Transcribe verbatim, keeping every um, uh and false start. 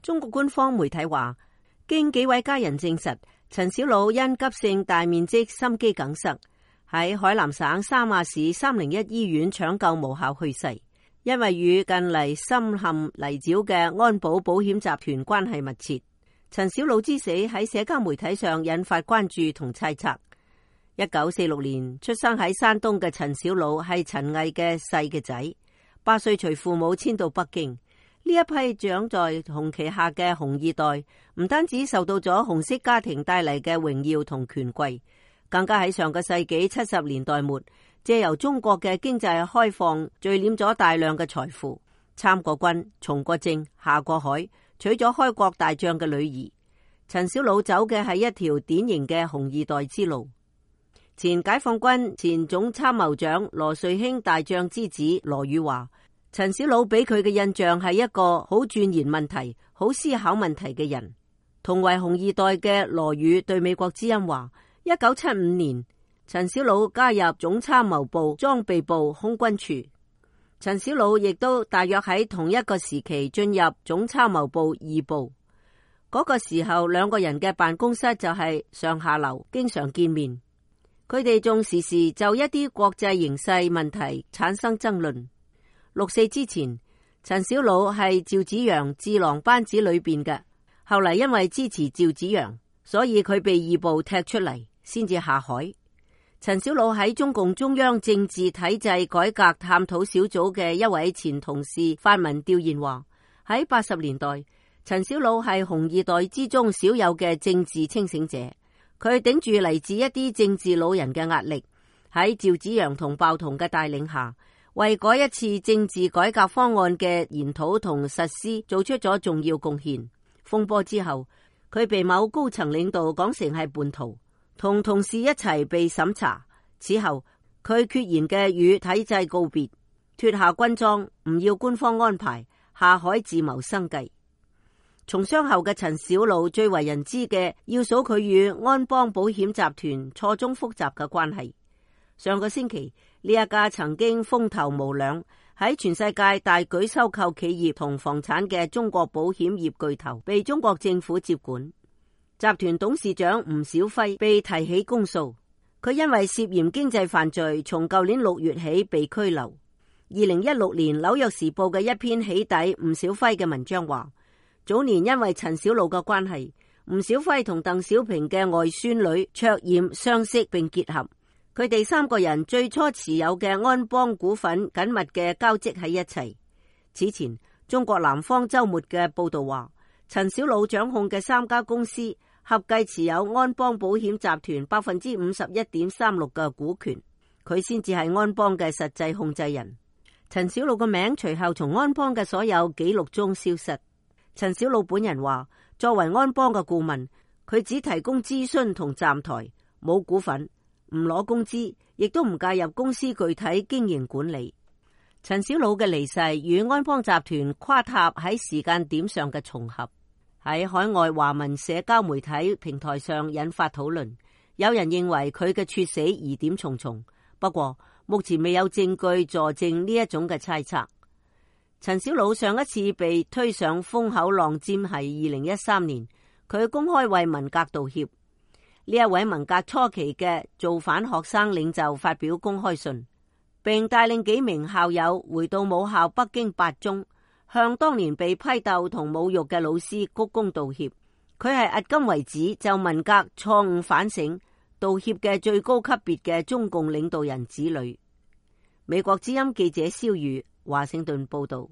中國官方媒體話，經幾位家人證實，陳小魯因急性大面積心肌梗塞喺海南省三亞市三零一醫院搶救無效去世。因為與近嚟深陷泥沼嘅安保保險集團關係密切，陳小魯之死喺社交媒體上引發關注同猜測。一九四六年出生喺山東嘅陳小魯係陳毅嘅細嘅仔，八歲隨父母遷到北京。呢一批長在紅旗下嘅紅二代，唔單止受到咗紅色家庭帶嚟嘅榮耀同權貴，更加喺上個世紀七十年代末，借由中國嘅經濟開放，聚斂咗大量嘅財富，參過軍、從過政、下過海，娶咗開國大將嘅女兒。陳小魯走嘅係一條典型嘅紅二代之路。前解放軍前總參謀長羅瑞卿大將之子羅宇話，陳小魯俾佢嘅印象係一個好鑽研問題、好思考問題嘅人。同為紅二代嘅羅宇對美國之音話，一九七五年陳小魯加入總參謀部裝備部空軍處，陳小魯亦都大約喺同一個時期進入總參謀部二部。嗰、那個時候兩個人嘅辦公室就係上下樓，經常見面。佢哋仲時時就一啲國際形勢問題產生爭論。六四之前，陳小魯係趙紫陽智囊班子裏邊嘅，後嚟因為支持趙紫陽，所以佢被二部踢出嚟，先至下海。陳小魯喺中共中央政治體制改革探討小組嘅一位前同事發文調研話，喺八十年代，陳小魯係紅二代之中少有嘅政治清醒者。佢頂住嚟自一啲政治老人嘅壓力，喺趙紫陽同鮑彤嘅帶領下，為嗰一次政治改革方案嘅研討同實施做出咗重要貢獻。風波之後，佢被某高層領導講成係叛徒，同同事一齊被審查。此後，佢決然嘅與體制告別，脫下軍裝，唔要官方安排，下海自謀生計。從傷後嘅陳小魯最為人知嘅，要數佢與安邦保險集團錯綜複雜嘅關係。上個星期，呢一家曾經風頭無兩，喺全世界大舉收購企業同房產嘅中國保險業巨頭，被中國政府接管。集團董事長吳小輝被提起公訴，佢因為涉嫌經濟犯罪，從舊年六月起被拘留。二零一六年紐約時報嘅一篇起底吳小輝嘅文章話，早年因為陳小魯嘅關係，吳小輝同鄧小平嘅外孫女卓嫣相識並結合。佢哋三個人最初持有嘅安邦股份緊密嘅交織喺一齊。此前，中國南方周末嘅報道話，陳小魯掌控嘅三家公司合計持有安邦保險集團百分之五十一點三六嘅股權，佢先至係安邦嘅實際控制人。陳小魯嘅名隨後從安邦嘅所有記錄中消失。陳小魯本人話，作為安邦嘅顧問，佢只提供諮詢同站台，冇股份，唔攞工資，亦都唔介入公司具體經營管理。陳小魯嘅離世與安邦集團垮塌喺時間點上嘅重合，喺海外華文社交媒體平台上引發討論。有人認為佢嘅猝死疑點重重，不過目前未有證據佐證呢一種嘅猜測。陳小魯上一次被推上風口浪尖係二零一三年，佢公開為文革道歉。呢一位文革初期嘅造反學生領袖發表公開信，並帶領幾名校友回到母校北京八中，向當年被批鬥同侮辱嘅老師鞠躬道歉。佢係迄今為止就文革錯誤反省道歉嘅最高級別嘅中共領導人子女。美國之音記者蕭宇華盛頓報道。